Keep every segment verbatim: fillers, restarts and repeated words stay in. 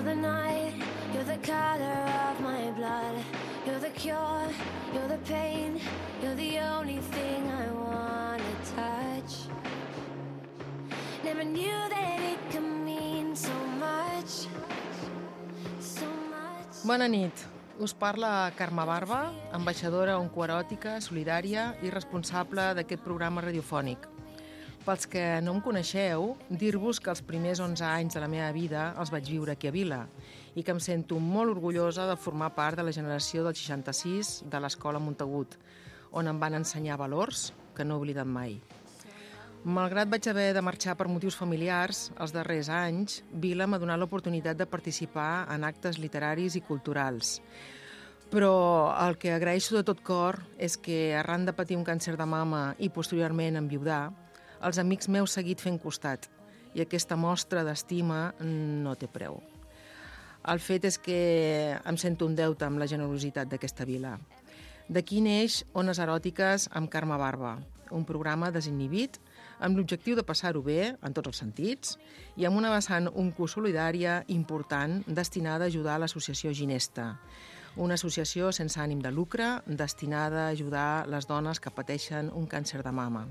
the night, you're the color of my blood. You're the cure, you're the pain, you're the only thing I wanna touch. Never knew that it could mean so much, so much. Bona nit. Us parla Carme Barba, ambaixadora oncoeròtica, solidària i responsable d'aquest programa radiofònic. Pels que no em coneixeu, dir-vos que els primers onze anys de la meva vida els vaig viure aquí a Vila i que em sento molt orgullosa de formar part de la generació del seixanta-sis de l'Escola Montagut, on em van ensenyar valors que no he oblidat mai. Malgrat vaig haver de marxar per motius familiars, els darrers anys, Vila m'ha donat l'oportunitat de participar en actes literaris i culturals. Però el que agraeixo de tot cor és que, arran de patir un càncer de mama i posteriorment enviudar, els amics m'heu seguit fent costat i aquesta mostra d'estima no té preu. El fet és que em sento un deute amb la generositat d'aquesta vila. D'aquí neix Ones Eròtiques amb Carme Barba, un programa desinhibit amb l'objectiu de passar-ho bé, en tots els sentits, i amb una vessant oncosolidària important destinada a ajudar l'associació Ginesta, una associació sense ànim de lucre destinada a ajudar les dones que pateixen un càncer de mama.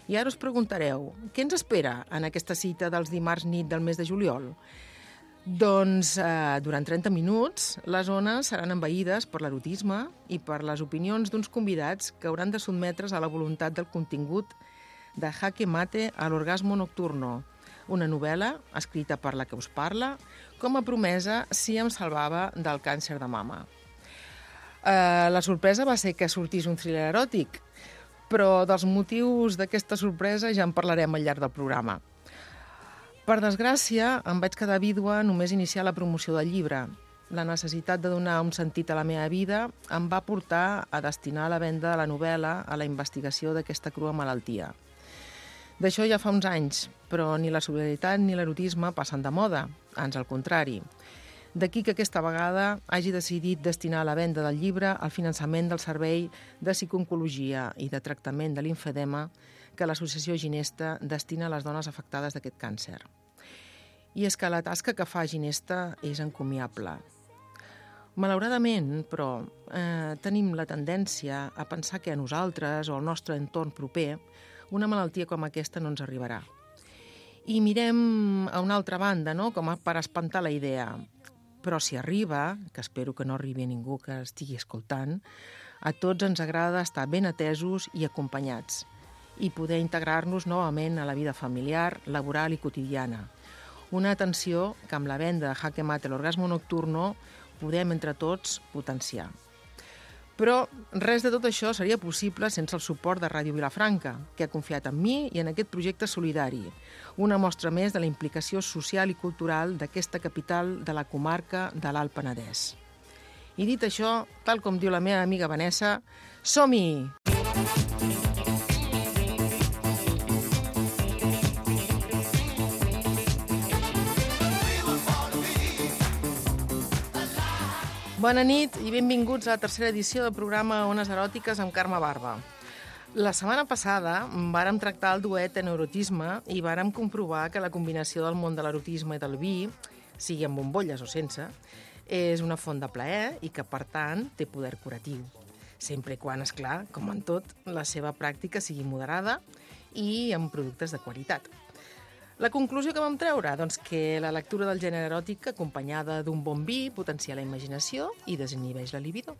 I ara us preguntareu, què ens espera en aquesta cita dels dimarts nit del mes de juliol? Doncs eh, durant trenta minuts les ones seran envaïdes per l'erotisme i per les opinions d'uns convidats que hauran de sotmetre's a la voluntat del contingut de Jaque Mate a l'orgasmo nocturno, una novel·la escrita per la que us parla, com a promesa si em salvava del càncer de mama. Eh, la sorpresa va ser que sortís un thriller eròtic, però dels motius d'aquesta sorpresa ja en parlarem al llarg del programa. Per desgràcia, em vaig quedar vídua només iniciar la promoció del llibre. La necessitat de donar un sentit a la meva vida em va portar a destinar la venda de la novel·la a la investigació d'aquesta crua malaltia. D'això ja fa uns anys, però ni la solidaritat ni l'erotisme passen de moda, ans al contrari. D'aquí que aquesta vegada hagi decidit destinar la venda del llibre al finançament del servei de psicooncologia i de tractament de limfedema que l'associació Ginesta destina a les dones afectades d'aquest càncer. I és que la tasca que fa Ginesta és encomiable. Malauradament, però, eh, tenim la tendència a pensar que a nosaltres o al nostre entorn proper una malaltia com aquesta no ens arribarà. I mirem a una altra banda, no?, com per espantar la idea. Però si arriba, que espero que no arribi a ningú que estigui escoltant, a tots ens agrada estar ben atesos i acompanyats i poder integrar-nos novament a la vida familiar, laboral i quotidiana. Una atenció que amb la venda de Jaque Mate l'orgasmo nocturno podem entre tots potenciar. Però res de tot això seria possible sense el suport de Ràdio Vilafranca, que ha confiat en mi i en aquest projecte solidari, una mostra més de la implicació social i cultural d'aquesta capital de la comarca de l'Alt Penedès. I dit això, tal com diu la meva amiga Vanessa, som-hi! Bona nit i benvinguts a la tercera edició del programa Ones Eròtiques amb Carme Barba. La setmana passada vàrem tractar el duet en erotisme i vàrem comprovar que la combinació del món de l'erotisme i del vi, sigui amb bombolles o sense, és una font de plaer i que, per tant, té poder curatiu. Sempre i quan, esclar, com en tot, la seva pràctica sigui moderada i amb productes de qualitat. La conclusió que vam treure? Doncs que la lectura del gènere eròtic acompanyada d'un bon vi potencia la imaginació i desinhibeix la libido.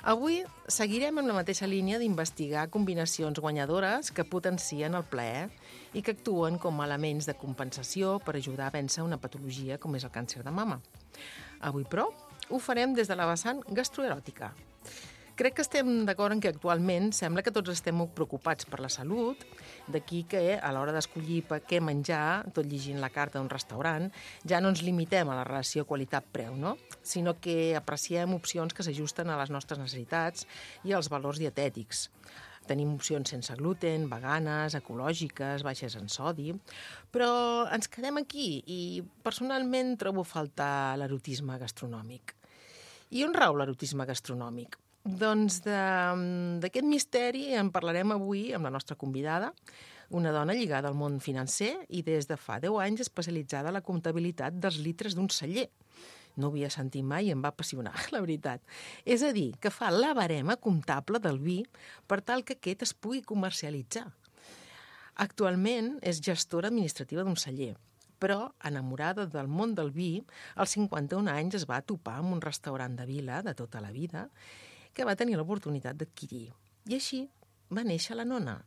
Avui seguirem amb la mateixa línia d'investigar combinacions guanyadores que potencien el plaer i que actuen com a elements de compensació per ajudar a vèncer una patologia com és el càncer de mama. Avui, però, ho farem des de la vessant gastroeròtica. Crec que estem d'acord en que actualment sembla que tots estem molt preocupats per la salut, d'aquí que a l'hora d'escollir què menjar, tot llegint la carta d'un restaurant, ja no ens limitem a la relació qualitat-preu, no? Sinó que apreciem opcions que s'ajusten a les nostres necessitats i als valors dietètics. Tenim opcions sense gluten, veganes, ecològiques, baixes en sodi, però ens quedem aquí i personalment trobo a faltar l'erotisme gastronòmic. I on rau l'erotisme gastronòmic? Doncs d'aquest misteri en parlarem avui amb la nostra convidada, una dona lligada al món financer i des de fa deu anys especialitzada en la comptabilitat dels litres d'un celler. No ho havia sentit mai i em va apassionar, la veritat. És a dir, que fa la barema comptable del vi per tal que aquest es pugui comercialitzar. Actualment és gestora administrativa d'un celler, però, enamorada del món del vi, als cinquanta-un anys es va topar amb un restaurant de vila de tota la vida que va tenir l'oportunitat d'adquirir. I així va néixer la Nona,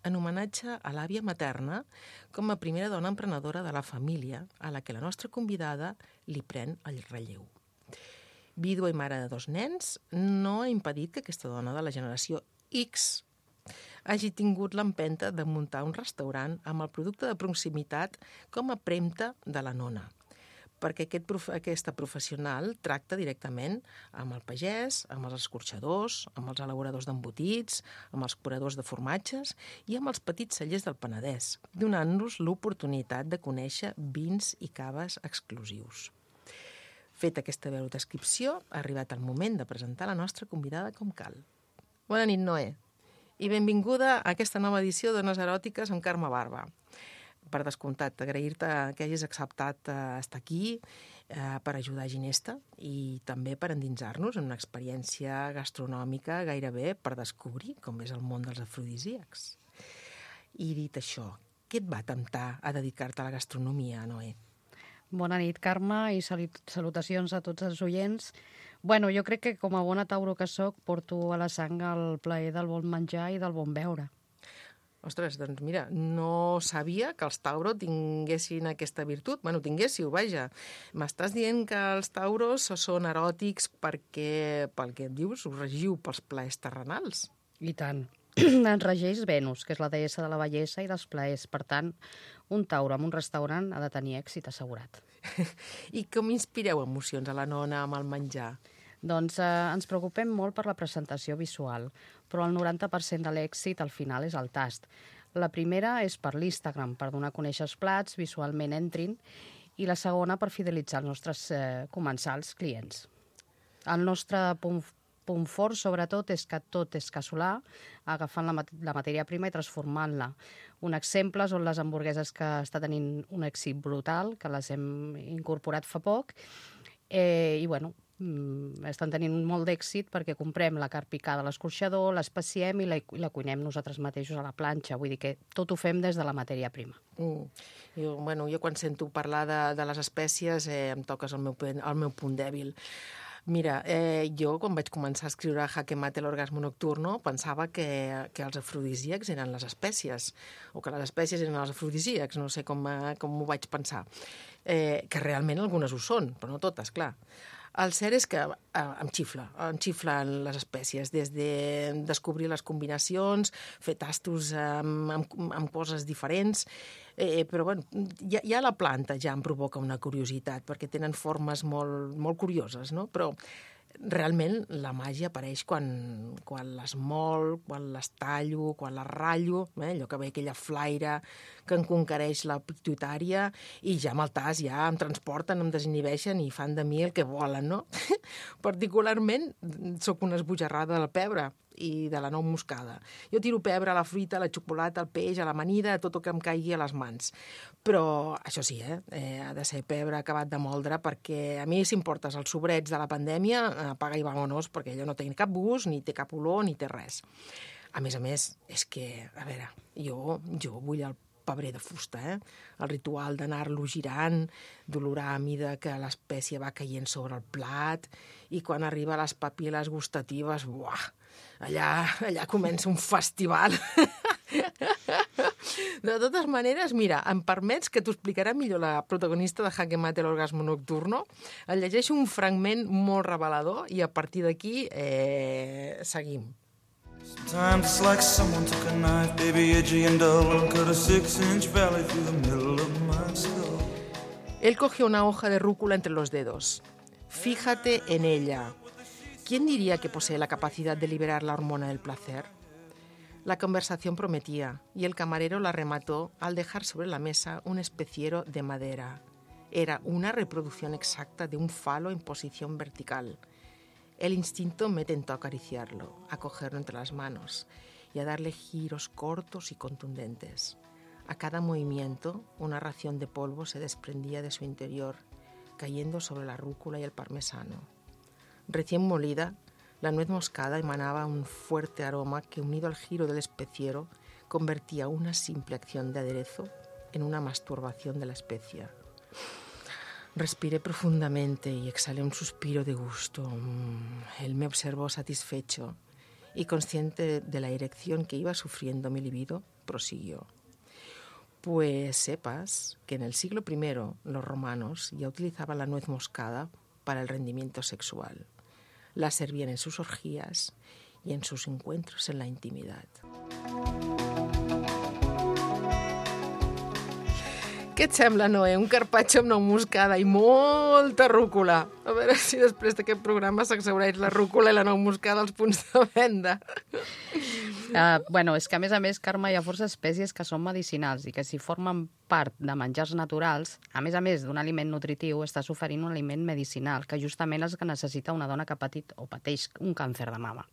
en homenatge a l'àvia materna com a primera dona emprenedora de la família a la que la nostra convidada li pren el relleu. Vídua i mare de dos nens, no ha impedit que aquesta dona de la generació X hagi tingut l'empenta de muntar un restaurant amb el producte de proximitat com a premta de la Nona, perquè aquest, aquesta professional tracta directament amb el pagès, amb els escorxadors, amb els elaboradors d'embotits, amb els curadors de formatges i amb els petits cellers del Penedès, donant-nos l'oportunitat de conèixer vins i caves exclusius. Feta aquesta breu descripció, ha arribat el moment de presentar la nostra convidada com cal. Bona nit, Noé, i benvinguda a aquesta nova edició d'Ones Eròtiques amb Carme Barba. Per descomptat, agrair-te que hagis acceptat estar aquí eh, per ajudar Ginesta i també per endinsar-nos en una experiència gastronòmica gairebé per descobrir com és el món dels afrodisíacs. I dit això, què et va temptar a dedicar-te a la gastronomia, Noé? Bona nit, Carme, i salutacions a tots els oients. Bueno, jo crec que com a bona tauro que soc porto a la sang el plaer del bon menjar i del bon beure. Ostres, doncs mira, no sabia que els Tauro tinguessin aquesta virtut. Bueno, tinguéssiu, vaja. M'estàs dient que els Tauros són eròtics perquè, pel que et dius, us regiu pels plaers terrenals. I tant. Ens regeix Venus, que és la deessa de la bellesa i dels plaers. Per tant, un Tauro en un restaurant ha de tenir èxit assegurat. I com inspireu emocions a la Nona amb el menjar? Doncs eh, ens preocupem molt per la presentació visual, però el noranta per cent de l'èxit al final és el tast. La primera és per l'Instagram, per donar a conèixer els plats, visualment entrin, i la segona per fidelitzar els nostres eh, comensals clients. El nostre punt, punt fort, sobretot, és que tot és casolà, agafant la, mat la matèria prima i transformant-la. Un exemple són les hamburgueses que està tenint un èxit brutal, que les hem incorporat fa poc, eh, i bueno, estan tenint molt d'èxit perquè comprem la carn picada a l'escorxador, l'especiem i la, i la cuinem nosaltres mateixos a la planxa. Vull dir que tot ho fem des de la matèria prima. Mm. Jo, bueno, jo quan sento parlar de, de les espècies eh, em toques el meu, el meu punt dèbil. Mira, eh, jo quan vaig començar a escriure Jaque Mate l'orgasmo nocturno pensava que, que els afrodisíacs eren les espècies, o que les espècies eren els afrodisíacs, no sé com, com ho vaig pensar. Eh, que realment algunes ho són, però no totes, clar. El cert és que eh, em xifla, em xiflen les espècies, des de descobrir les combinacions, fer tastos amb, amb, amb coses diferents, eh, però bueno, ja, ja la planta ja em provoca una curiositat, perquè tenen formes molt, molt curioses, no? Però realment la màgia apareix quan, quan les mol, quan les tallo, quan les ratllo, eh? Allò que ve aquella flaire que em conquereix la pituitària i ja amb el tas ja em transporten, em desinhibeixen i fan de mi el que volen, no? Particularment sóc una esbojarrada del pebre i de la nou moscada. Jo tiro pebre a la fruita, a la xocolata, al peix, a l'amanida, a tot el que em caigui a les mans. Però, això sí, eh? eh ha de ser pebre acabat de moldre, perquè a mi, si em portes els sobrets de la pandèmia, apaga i vámonos, perquè allò no té cap gust, ni té cap olor, ni té res. A més a més, és que, a veure, jo, jo vull el pebrer de fusta, eh? El ritual d'anar-lo girant, d'olorar a mida que l'espècie va caient sobre el plat, i quan arriba a les papil·les gustatives, buah, allà, allà comença un festival. De totes maneres, mira, em permets que t'ho explicarà millor la protagonista de Jaque Mate l'orgasmo nocturno. El llegeixo un fragment molt revelador i a partir d'aquí eh, seguim. Sometimes it's like someone took a knife, baby, edgy and dull, and cut a six-inch valley through the middle of my skull. Él cogió una hoja de rúcula entre los dedos. Fíjate en ella. ¿Quién diría que posee la capacidad de liberar la hormona del placer? La conversación prometía, y el camarero la remató al dejar sobre la mesa un especiero de madera. Era una reproducción exacta de un falo en posición vertical. El instinto me tentó a acariciarlo, a cogerlo entre las manos y a darle giros cortos y contundentes. A cada movimiento, una ración de polvo se desprendía de su interior, cayendo sobre la rúcula y el parmesano. Recién molida, la nuez moscada emanaba un fuerte aroma que, unido al giro del especiero, convertía una simple acción de aderezo en una masturbación de la especia. Respiré profundamente y exhalé un suspiro de gusto. Él me observó satisfecho y, consciente de la erección que iba sufriendo mi libido, prosiguió. Pues sepas que en el siglo primero los romanos ya utilizaban la nuez moscada para el rendimiento sexual. La servían en sus orgías y en sus encuentros en la intimidad. Què et sembla, Noé? Un carpaccio amb nou moscada i molta rúcula. A veure si després d'aquest programa s'exhaureix la rúcula i la nou moscada als punts de venda. Uh, bueno, és que a més a més, Carme, hi ha força espècies que són medicinals i que si formen part de menjars naturals, a més a més d'un aliment nutritiu, estàs oferint un aliment medicinal, que justament és el que necessita una dona que ha patit o pateix un càncer de mama.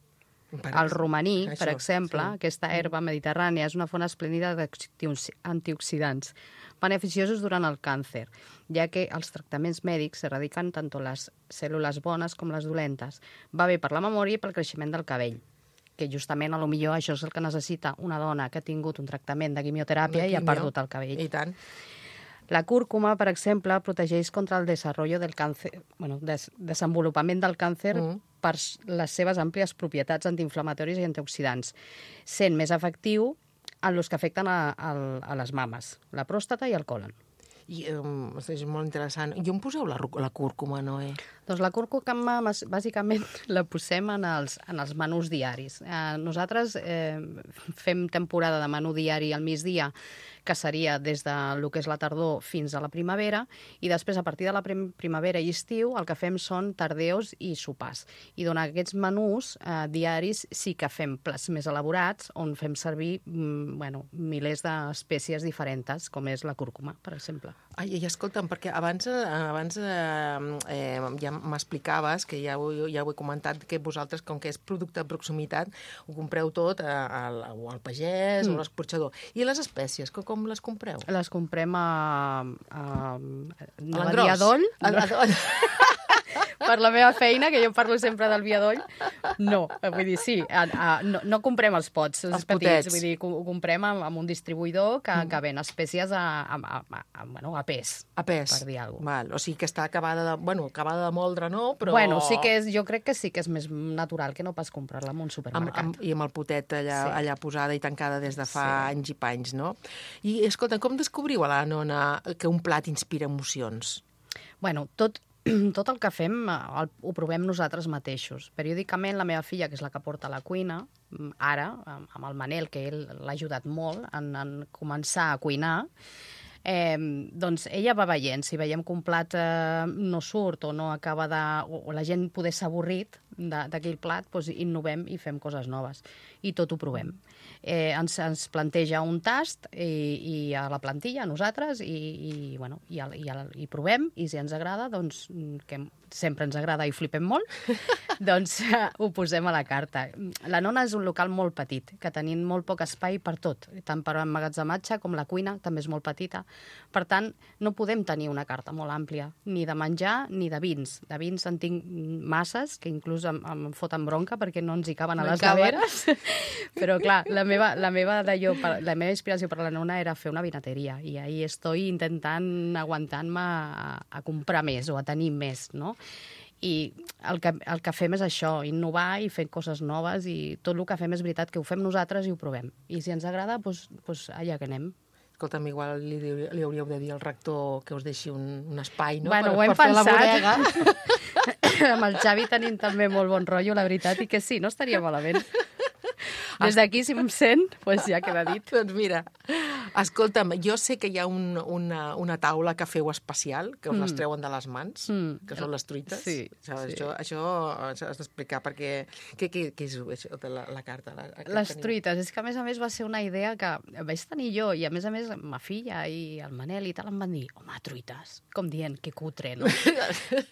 El romaní, Això, per exemple, sí. Aquesta herba mediterrània, és una font esplèndida d'antioxidants beneficiosos durant el càncer, ja que els tractaments mèdics erradiquen tant les cèl·lules bones com les dolentes. Va bé per la memòria i pel creixement del cabell, que justament a lo millor això és el que necessita una dona que ha tingut un tractament de quimioteràpia i ha perdut el cabell. I tant. La cúrcuma, per exemple, protegeix contra el desenvolupament del càncer, bueno, des, desenvolupament del càncer mm. per les seves àmplies propietats antiinflamatòries i antioxidants, sent més efectiu en els que afecten a, a, a les mames, la pròstata i el còlon. I um, és molt interessant. I on poseu la, la cúrcuma, Noé? Doncs la cúrcuma, bàsicament, la posem en els, en els menús diaris. Eh, nosaltres eh, fem temporada de menú diari al migdia, que seria des de lo que és la tardor fins a la primavera, i després, a partir de la prim primavera i estiu, el que fem són tardeos i sopars. I durant aquests menús eh, diaris sí que fem plats més elaborats, on fem servir mm, bueno, milers d'espècies diferents, com és la cúrcuma, per exemple. Ai, i escolta'm, perquè abans, abans eh, eh, ja m'explicaves, que ja ho, ja ho he comentat, que vosaltres, com que és producte de proximitat, ho compreu tot al, al pagès mm. o a l'escorxador. I les espècies, com, com les compreu? Les comprem a... a, a, a l'engròs? A l'engròs. Per la meva feina, que jo parlo sempre del viadoll, no, vull dir, sí, a, a, no, no comprem els pots, els, els petits, potets. Vull dir, ho, ho comprem amb, amb un distribuïdor que, mm. que ven espècies a, a, a, a, bueno, a pes, a pes, per dir alguna cosa. Val, o sigui que està acabada de, bueno, acabada de moldre, no? Però... Bueno, sí que és, jo crec que sí que és més natural que no pas comprar-la en un supermercat. Amb, amb, I amb el potet allà, sí. allà posada i tancada des de fa sí. anys i panys, no? I, escolta, com descobriu a la nona que un plat inspira emocions? Bueno, tot... Tot el que fem el, ho provem nosaltres mateixos. Periòdicament la meva filla, que és la que porta la cuina, ara, amb el Manel, que ell l'ha ajudat molt en, en començar a cuinar, eh, doncs ella va veient. Si veiem que un plat eh, no surt o no acaba de... o, o la gent poder s'ha avorrit d'aquell plat, doncs innovem i fem coses noves. I tot ho provem. Eh, ens, ens planteja un tast i, i a la plantilla, a nosaltres, i, i, bueno, i, a, i, a, i provem, i si ens agrada, doncs, que sempre ens agrada i flipem molt, doncs uh, ho posem a la carta. La nona és un local molt petit, que tenim molt poc espai per tot, tant per emmagatzematge com la cuina, també és molt petita. Per tant, no podem tenir una carta molt àmplia, ni de menjar ni de vins. De vins en tinc masses, que inclús em, em foten bronca perquè no ens hi caben a les neveres. Però, clar, la meva, la, meva d'allò, la meva inspiració per a la nona era fer una vinateria, i ahí estoy intentant, aguantant-me a, a comprar més o a tenir més, no? I el que, el que fem és això, innovar i fer coses noves, i tot el que fem és veritat que ho fem nosaltres i ho provem. I si ens agrada, doncs, doncs allà que anem. Escolta'm, igual li, li hauríeu de dir al rector que us deixi un, un espai, no? Bueno, per, ho hem per pensat. Fer la bodega. Amb el Xavi tenim també molt bon rotllo, la veritat, i que sí, no estaria malament. Des d'aquí, si em sent, doncs ja queda dit. Doncs mira, Escolta'm, jo sé que hi ha un, una, una taula que feu especial, que us Mm. les treuen de les mans, Mm. que són les truites. Sí, Això, sí. això, això has d'explicar, perquè... Què, què, què és això de la, la carta? La, que Les teniu? truites, és que a més a més va ser una idea que vaig tenir jo i a més a més ma filla i el Manel i tal em van dir, home, truites, com dient, que cutre, no?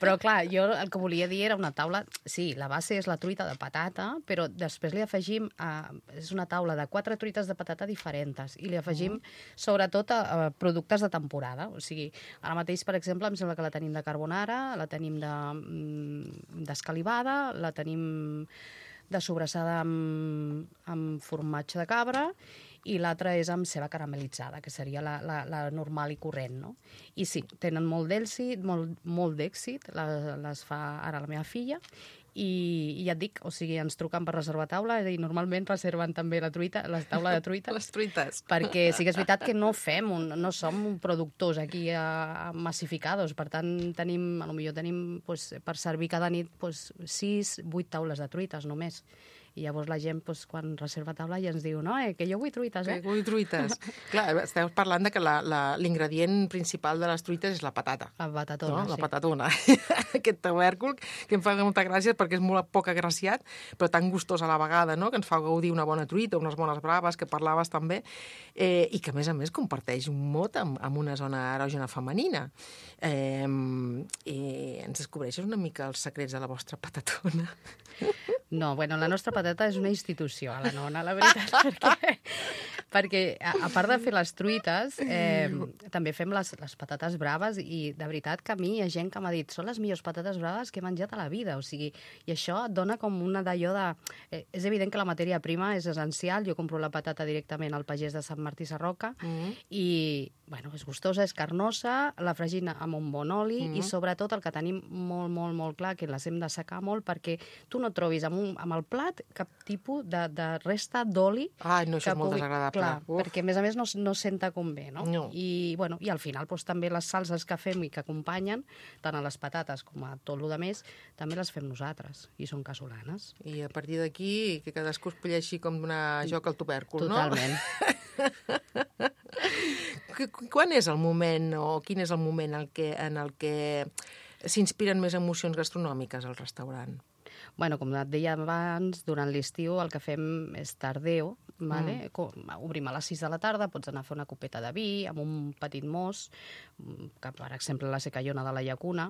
Però clar, jo el que volia dir era una taula, sí, la base és la truita de patata, però després li afegim, eh, és una taula de quatre truites de patata diferents i li afegim mm. sobretot a, a productes de temporada, o sigui, ara mateix, per exemple, em sembla que la tenim de carbonara, la tenim de, mm, d'escalivada, la tenim de sobrassada amb, amb formatge de cabra i l'altra és amb ceba caramelitzada, que seria la, la, la normal i corrent, no? I sí, tenen molt d'èxit, molt, molt d'èxit, les, les fa ara la meva filla, i, i ja et dic, o sigui, ens truquen per reservar taula i normalment reserven també la truita, la taula de truita. Les truites. Perquè sí que és veritat que no fem, un, no som productors aquí a, a massificados, per tant tenim, a lo millor tenim pues, per servir cada nit pues, sis, vuit taules de truites només. I llavors la gent, pues, quan reserva taula, ja ens diu, no, eh, que jo vull truites, eh? Que vull truites. Clar, esteu parlant de que la, la, l'ingredient principal de les truites és la patata. La patatona, No? La sí. patatona. Aquest tubèrcul, que em fa molta gràcia perquè és molt poc agraciat, però tan gustós a la vegada, no? Que ens fa gaudir una bona truita, unes bones braves, que parlaves també, eh, i que, a més a més, comparteix un mot amb, amb una zona erògena femenina. Eh, eh, ens descobreixes una mica els secrets de la vostra patatona? No, bueno, la nostra patata és una institució, a la nona, la veritat, perquè, perquè a, a part de fer les truites, eh, també fem les, les patates braves i de veritat que a mi hi ha gent que m'ha dit són les millors patates braves que he menjat a la vida, o sigui, i això et dona com una d'allò de... Eh, és evident que la matèria prima és essencial, jo compro la patata directament al pagès de Sant Martí Sarroca mm-hmm. i, bueno, és gustosa, és carnosa, la fregina amb un bon oli mm-hmm. i sobretot el que tenim molt, molt, molt clar, que les hem de secar molt perquè tu no trobis amb, un, amb el plat cap tipus de, de resta d'oli. Ai, no, això és molt pugui... desagradable. Clar, Uf. perquè a més a més no, no senta com bé, no? No. I, bueno, i al final doncs, també les salses que fem i que acompanyen, tant a les patates com a tot el més, també les fem nosaltres i són casolanes. I a partir d'aquí, que cadascú es polleixi com donar joc al tubèrcul, Totalment. no? Quan és el moment, o quin és el moment en el que, en el que s'inspiren més emocions gastronòmiques al restaurant? Bueno, com et deia abans, durant l'estiu el que fem és tardeo, vale? Mm. Obrim a les sis de la tarda, pots anar a fer una copeta de vi amb un petit mos, que per exemple la secallona de la llacuna,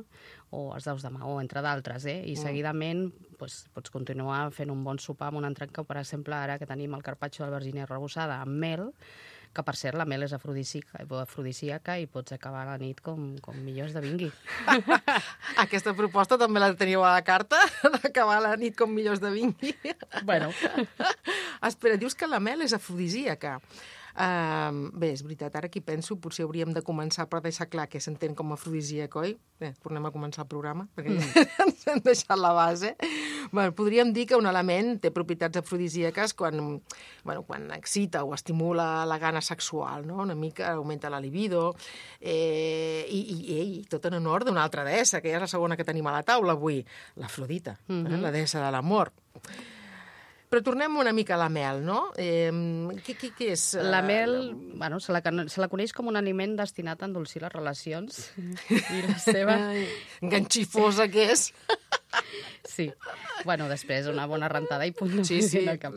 o els daus de maó, entre d'altres, eh? I mm. seguidament pues, pots continuar fent un bon sopar amb un entrecot, per exemple, ara que tenim el carpaccio d'albergínia arrebossada amb mel, que per cert la mel és afrodisíaca, afrodisíaca i pots acabar la nit com, com millor es devingui. Aquesta proposta també la teníeu a la carta, d'acabar la nit com millor es devingui. Bueno. Espera, dius que la mel és afrodisíaca. Uh, bé, és veritat, ara aquí penso, potser hauríem de començar per deixar clar què s'entén com a afrodisíac, oi? Bé, tornem a començar el programa, perquè mm. ja ens hem deixat la base. Bueno, podríem dir que un element té propietats afrodisíaques quan, bueno, quan excita o estimula la gana sexual, no? Una mica augmenta la libido, eh, i, i, i tot en honor d'una altra deessa, que ja és la segona que tenim a la taula avui, l'Afrodita, mm-hmm. eh? La deessa de l'amor. Però tornem una mica a la mel, no? Eh, què, què, què és? La mel, uh, bueno, se la, se la coneix com un aliment destinat a endolcir les relacions. I la seva... Ai, enganxifosa que és. Sí. Bueno, després una bona rentada i punt. Sí, sí. No cap,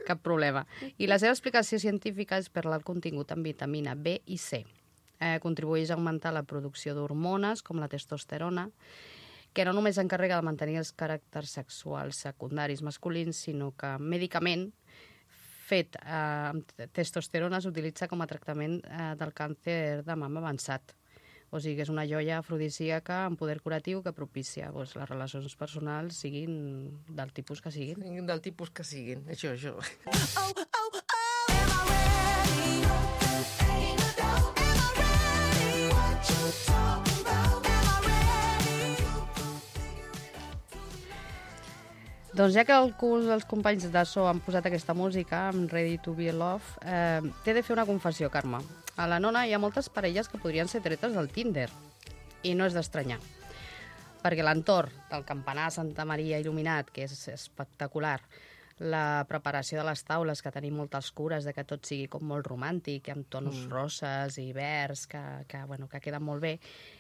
cap problema. I la seva explicació científica és per l'alt contingut en vitamina B i C. Eh, contribueix a augmentar la producció d'hormones, com la testosterona, que no només s'encarrega de mantenir els caràcters sexuals secundaris masculins, sinó que mèdicament fet eh, amb testosterona s'utilitza com a tractament eh, del càncer de mama avançat. O sigui que és una joia afrodisíaca amb poder curatiu que propicia doncs, les relacions personals siguin del tipus que siguin. Del tipus que siguin, això, això. Oh, oh, oh, am I ready? Ain't no doubt, am I ready? What you talking about? Am I ready? Doncs ja que alguns dels companys de so han posat aquesta música, amb Ready to be Love, eh, t'he de fer una confessió, Carme. A la nona hi ha moltes parelles que podrien ser tretes del Tinder. I no és d'estranyar. Perquè l'entorn del campanar Santa Maria il·luminat, que és espectacular, la preparació de les taules, que tenim moltes cures de que tot sigui com molt romàntic, amb tonos mm. roses i verds, que, que, bueno, que queden molt bé.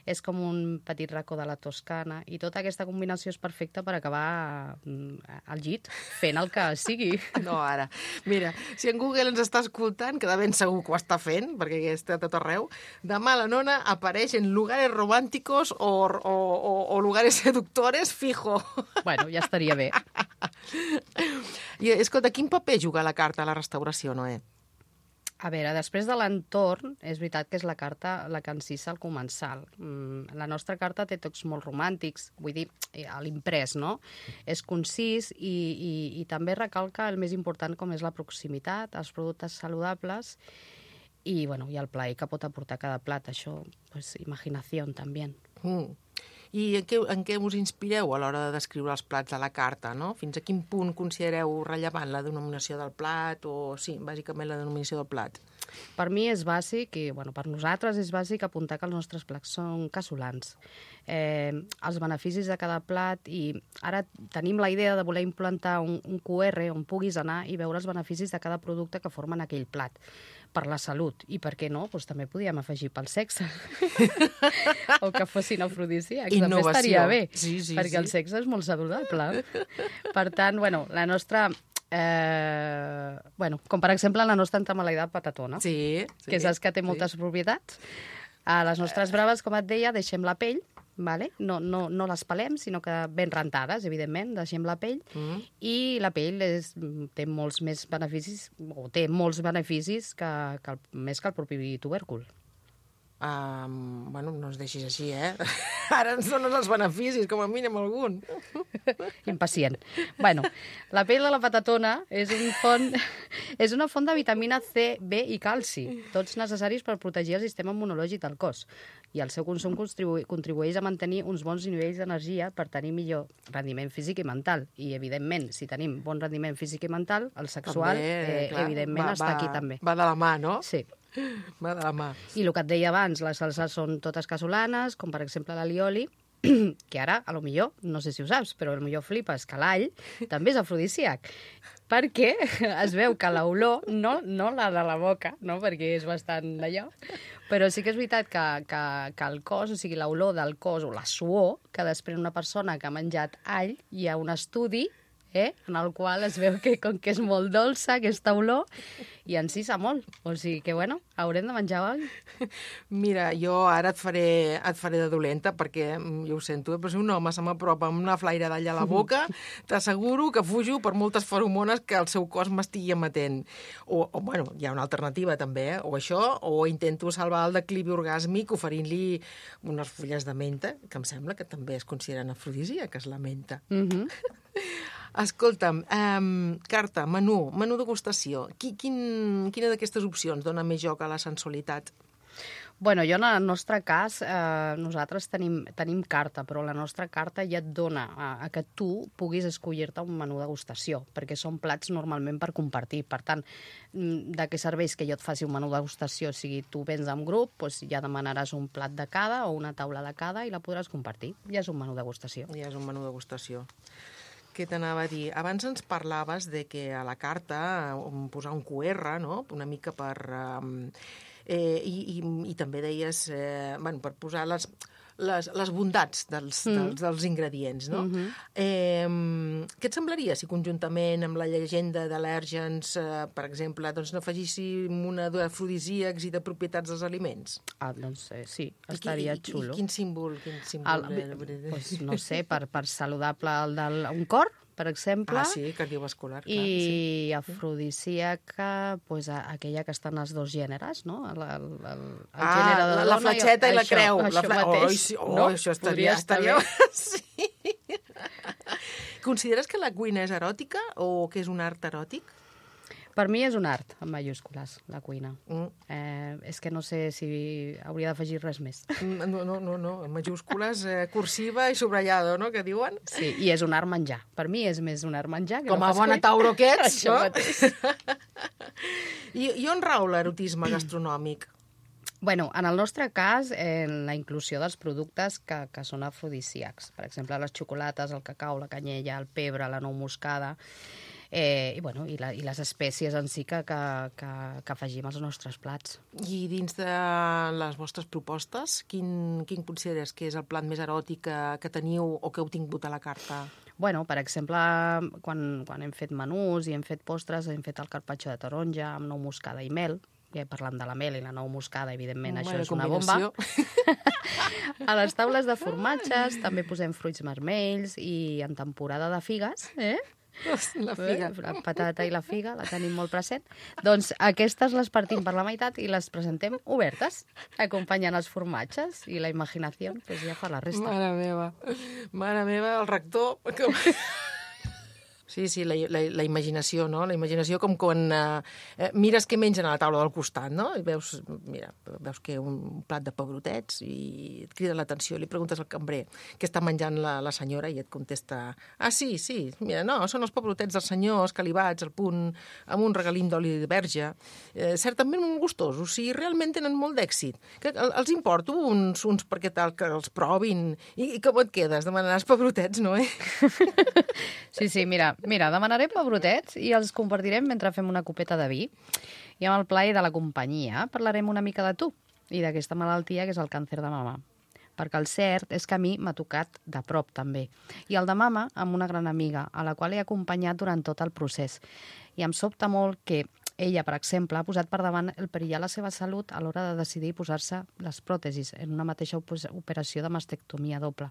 És com un petit racó de la Toscana, i tota aquesta combinació és perfecta per acabar al llit fent el que sigui. No, ara. Mira, si en Google ens està escoltant, que de ben segur que ho està fent, perquè està a tot arreu, demà la nona apareix en lugares románticos o, o, o, o lugares seductores fijo. Bueno, ja estaria bé. I, escolta, quin paper juga la carta a la restauració, Noé? A veure, després de l'entorn, és veritat que és la carta la que encisa al comensal. Mm, la nostra carta té tocs molt romàntics, vull dir, a l'imprès, no? És concís i, i, i també recalca el més important, com és la proximitat, els productes saludables i, bueno, i el plaer que pot aportar cada plat. Això, pues, imaginació, també. Mm. I en què, en què us inspireu a l'hora de descriure els plats de la carta, no? Fins a quin punt considereu rellevant la denominació del plat o, sí, bàsicament la denominació del plat? Per mi és bàsic, i bueno, per nosaltres és bàsic apuntar que els nostres plats són casolans. Eh, els beneficis de cada plat, i ara tenim la idea de voler implantar un, un Q R on puguis anar i veure els beneficis de cada producte que formen aquell plat. Per la salut. I per què no? Doncs també podíem afegir pel sexe. O que fossin afrodisíacs. També estaria bé, sí, sí, perquè sí. El sexe és molt saludable. Per tant, bueno, la nostra... Eh, bueno, com per exemple la nostra entamalaïda patatona, sí, sí, que saps que té moltes sí. propietats. A les nostres braves, com et deia, deixem la pell, vale? no, no, no les pelem, sinó que ben rentades, evidentment, deixem la pell, mm. i la pell és, té molts més beneficis, o té molts beneficis que, que el, més que el propi tubèrcul. Um, bueno, no ens deixis així, eh? Ara ens dones els beneficis, com a mínim algun. Impacient. Bueno, la pell de la patatona és, un font, és una font de vitamina C, B i calci, tots necessaris per protegir el sistema immunològic del cos. I el seu consum contribu contribueix a mantenir uns bons nivells d'energia per tenir millor rendiment físic i mental. I, evidentment, si tenim bon rendiment físic i mental, el sexual, també, eh, clar, evidentment, va, està va, aquí també. Va de la mà, no? Sí. Va de la mà. I el que et deia abans, les salses són totes casolanes, com per exemple l'alioli, que ara, a lo millor, no sé si ho saps, però a lo millor flipes que l'all també és afrodisíac, perquè es veu que l'olor, no, no la de la boca, no? Perquè és bastant d'allò, però sí que és veritat que, que, que el cos, o sigui, l'olor del cos o la suor que desprèn una persona que ha menjat all, hi ha un estudi eh, en el qual es veu que, com que és molt dolça aquesta olor, i encisa molt. O sigui que, bueno, haurem de menjar all. Mira, jo ara et faré, et faré de dolenta, perquè, jo ho sento, però si un home se m'apropa amb una flaire d'all a la boca, t'asseguro que fujo per moltes feromones que el seu cos m'estigui emetent. O, o, bueno, hi ha una alternativa també, eh? O això, o intento salvar el declivi orgàsmic oferint-li unes fulles de menta, que em sembla que també es consideren afrodisíaques, la menta. Mhm. Escolta'm, um, carta, menú, menú degustació. Qui, quin, quina d'aquestes opcions dona més joc a la sensualitat? Bueno, jo en el nostre cas, eh, nosaltres tenim, tenim carta, però la nostra carta ja et dona a, a que tu puguis escollir-te un menú degustació, perquè són plats normalment per compartir. Per tant, de què serveix que jo et faci un menú degustació? O sigui, tu vens en grup, doncs ja demanaràs un plat de cada o una taula de cada i la podràs compartir. Ja és un menú degustació. Ja és un menú degustació. Què t'anava a dir? Abans ens parlaves de que a la carta posar un Q R, no? Una mica per... Um, eh, i, i, i també deies, eh, bueno, per posar les, les, les bondats dels, mm. dels, dels ingredients, no? Mm-hmm. eh, què et semblaria si conjuntament amb la llegenda d'al·lèrgens, eh, per exemple, doncs n'afegíssim una d'afrodisíacs i de propietats dels aliments? Ah, doncs eh, sí, estaria I, i, xulo. I quin símbol? Quin símbol el, pues, no sé, per, per saludable el del un cor, per exemple. Ah, sí, cardiovascular, clar. I sí. afrodisíaca, pues, aquella que està en els dos gèneres, no? El, el, el, el ah, gènere de la, la fletxeta i, i la això, creu. Això la fle... mateix. Oh, sí, oh, no? Això estaria... estaria... sí. Consideres que la cuina és eròtica o que és un art eròtic? Per mi és un art, en majúscules, la cuina. Mm. Eh, és que no sé si hauria d'afegir res més. No, no, no, no. En majúscules, eh, cursiva i subrayado, no?, que diuen. Sí, i és un art menjar. Per mi és més un art menjar que com no a bona tauro que ets, no? I, I on rau l'erotisme gastronòmic? Bueno, en el nostre cas, en la inclusió dels productes que, que són afrodisíacs. Per exemple, les xocolates, el cacau, la canyella, el pebre, la nou moscada. eh, i, bueno, i, la, i les espècies en si que, que, que, que afegim als nostres plats. I dins de les vostres propostes, quin, quin consideres que és el plat més eròtic que, que teniu o que heu tingut a la carta? Bueno, per exemple, quan, quan hem fet menús i hem fet postres, hem fet el carpaccio de taronja amb nou moscada i mel, ja parlant de la mel i la nou moscada, evidentment, Bona això és una combinació. bomba. A les taules de formatges també posem fruits vermells i en temporada de figues, eh? La figa. La patata i la figa, la tenim molt present. Doncs aquestes les partim per la meitat i les presentem obertes, acompanyant els formatges i la imaginació, pues ja fa la resta. Mare meva, mare meva, el rector... Que... Sí, sí, la, la, la imaginació, no? La imaginació com quan eh, mires què mengen a la taula del costat, no? I veus, mira, veus que un plat de pebrotets i et crida l'atenció, li preguntes al cambrer què està menjant la, la senyora i et contesta, ah, sí, sí, mira, no, són els pebrotets dels senyors calibats al punt, amb un regalim d'oli de verge, eh, certament molt gustosos, o sigui, realment tenen molt d'èxit. Que els importo uns, uns perquè tal que els provin i, i com et quedes? Demanaràs pebrotets, no, eh? Sí, sí, mira, Mira, demanarem pebrotets i els compartirem mentre fem una copeta de vi. I amb el plaer de la companyia parlarem una mica de tu i d'aquesta malaltia que és el càncer de mama. Perquè el cert és que a mi m'ha tocat de prop, també. I el de mama amb una gran amiga, a la qual he acompanyat durant tot el procés. I em sobta molt que ella, per exemple, ha posat per davant el perillar la seva salut a l'hora de decidir posar-se les pròtesis en una mateixa operació de mastectomia doble.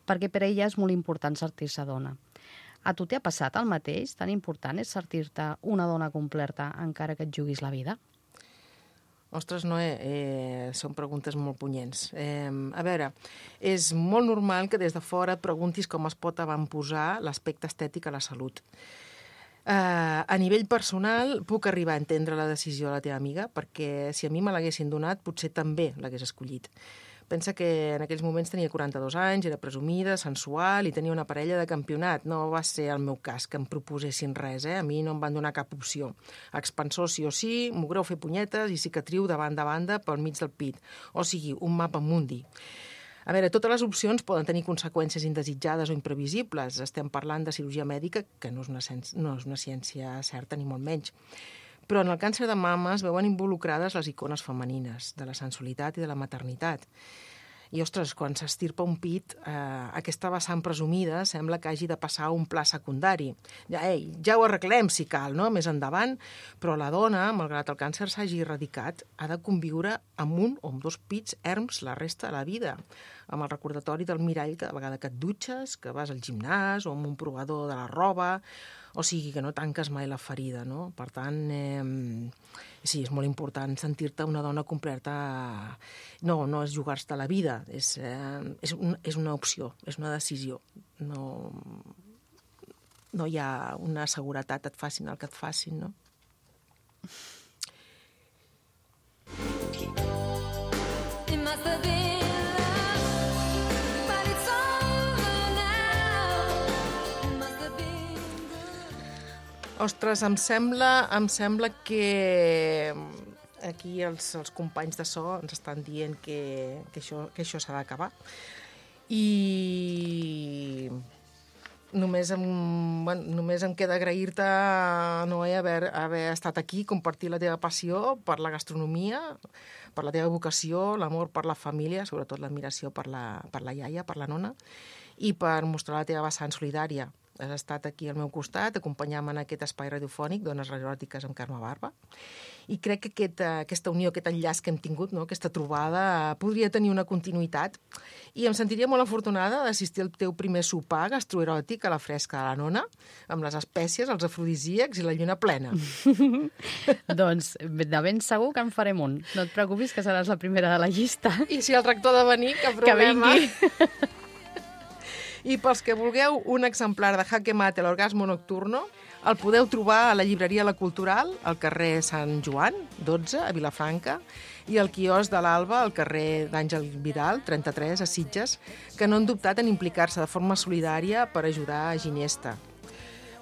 Perquè per ella és molt important sentir-se dona. A tu t'ha passat el mateix? Tan important és sentir-te una dona completa encara que et juguis la vida? Ostres, Noé, eh, són preguntes molt punyents. Eh, a veure, és molt normal que des de fora et preguntis com es pot avantposar l'aspecte estètic a la salut. Eh, a nivell personal, puc arribar a entendre la decisió de la teva amiga, perquè si a mi me l'haguessin donat, potser també l'hagués escollit. Pensa que en aquells moments tenia quaranta-dos anys, era presumida, sensual i tenia una parella de campionat. No va ser el meu cas que em proposessin res, eh? A mi no em van donar cap opció. Expansor sí o sí, mogreu fer punyetes i cicatriu de banda a banda pel mig del pit. O sigui, un mapa mundi. A veure, totes les opcions poden tenir conseqüències indesitjades o imprevisibles. Estem parlant de cirurgia mèdica, que no és una, no és una ciència certa, ni molt menys. Però en el càncer de mama es veuen involucrades les icones femenines, de la sensualitat i de la maternitat. I, ostres, quan s'estirpa un pit, eh, aquesta vessant presumida sembla que hagi de passar a un pla secundari. Ja, ei, ja ho arreglem, si cal, no?, més endavant, però la dona, malgrat el càncer s'hagi erradicat, ha de conviure amb un o amb dos pits erms la resta de la vida, amb el recordatori del mirall cada vegada que et dutxes, que vas al gimnàs o amb un provador de la roba, o sigui que no tanques mai la ferida, no? Per tant, eh, sí, és molt important sentir-te una dona completa. No, no és jugar-te la vida, és, eh, és, un, és una opció, és una decisió. No, no hi ha una seguretat, et facin el que et facin, no? It must have been Ostres, em sembla, em sembla que aquí els, els companys de so ens estan dient que, que això, que això s'ha d'acabar. I només em, bueno, només em queda agrair-te, Noé, haver, haver estat aquí, compartir la teva passió per la gastronomia, per la teva vocació, l'amor per la família, sobretot l'admiració per la, per la iaia, per la nona, i per mostrar la teva vessant solidària. Has estat aquí al meu costat, acompanyant-me en aquest espai radiofònic, Dones Eròtiques amb Carme Barba. I crec que aquest, aquesta unió, aquest enllaç que hem tingut, no? Aquesta trobada, podria tenir una continuïtat. I em sentiria molt afortunada d'assistir al teu primer sopar gastroeròtic a la fresca de la nona, amb les espècies, els afrodisíacs i la lluna plena. Doncs de ben segur que en farem un. No et preocupis, que seràs la primera de la llista. I si el rector ha de venir, que Que problema. vingui. I pels que vulgueu un exemplar de Jaque Mate, l'orgasmo nocturno, el podeu trobar a la llibreria La Cultural, al carrer Sant Joan, dotze, a Vilafranca, i al quiosc de l'Alba, al carrer d'Àngel Vidal, trenta-tres, a Sitges, que no han dubtat en implicar-se de forma solidària per ajudar a Ginesta,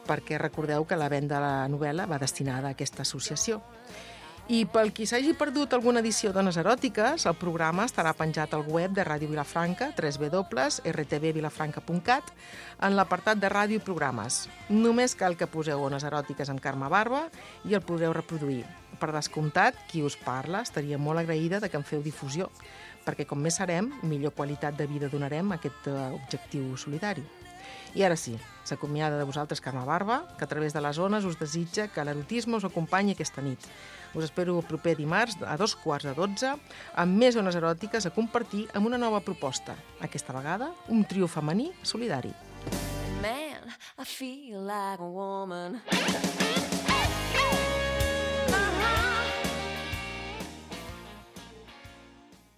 perquè recordeu que la venda de la novel·la va destinada a aquesta associació. I pel qui s'hagi perdut alguna edició d'Ones Eròtiques, el programa estarà penjat al web de Ràdio Vilafranca, w w w punt r t v vilafranca punt cat, en l'apartat de ràdio i programes. Només cal que poseu Ones Eròtiques amb Carme Barba i el podreu reproduir. Per descomptat, qui us parla estaria molt agraïda de que en feu difusió, perquè com més serem, millor qualitat de vida donarem a aquest objectiu solidari. I ara sí, s'acomiada de vosaltres Carme Barba, que a través de les ones us desitja que l'erotisme us acompanyi aquesta nit. Us espero el proper dimarts a dos quarts de dotze amb més ones eròtiques a compartir amb una nova proposta. Aquesta vegada, un trio femení solidari. Man, I feel like a woman.